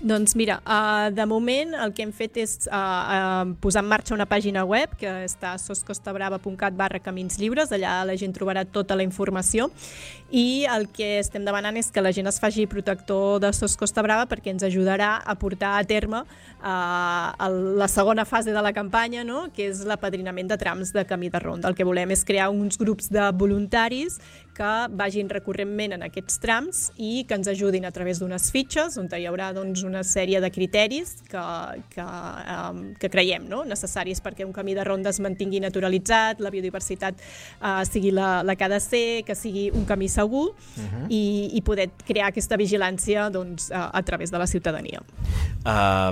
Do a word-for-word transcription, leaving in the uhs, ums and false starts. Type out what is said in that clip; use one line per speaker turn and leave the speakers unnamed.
Doncs mira, uh, de moment el que hem fet és uh, uh, posar en marxa una pàgina web que està a soscostabrava.cat barra camins lliures, allà la gent trobarà tota la informació i el que estem demanant és que la gent es faci protector de Sos Costa Brava perquè ens ajudarà a portar a terme uh, la segona fase de la campanya, no? Que és l'apadrinament de trams de camí de ronda. El que volem és crear uns grups de voluntaris que vagin recurrentment en aquests trams i que ens ajudin a través d'unes fitxes on hi haurà doncs, una sèrie de criteris que, que, um, que creiem no? necessaris perquè un camí de ronda es mantingui naturalitzat, la biodiversitat uh, sigui la, la que ha de ser, que sigui un camí segur uh-huh. i, i poder crear aquesta vigilància doncs, uh, a través de la ciutadania.
Uh,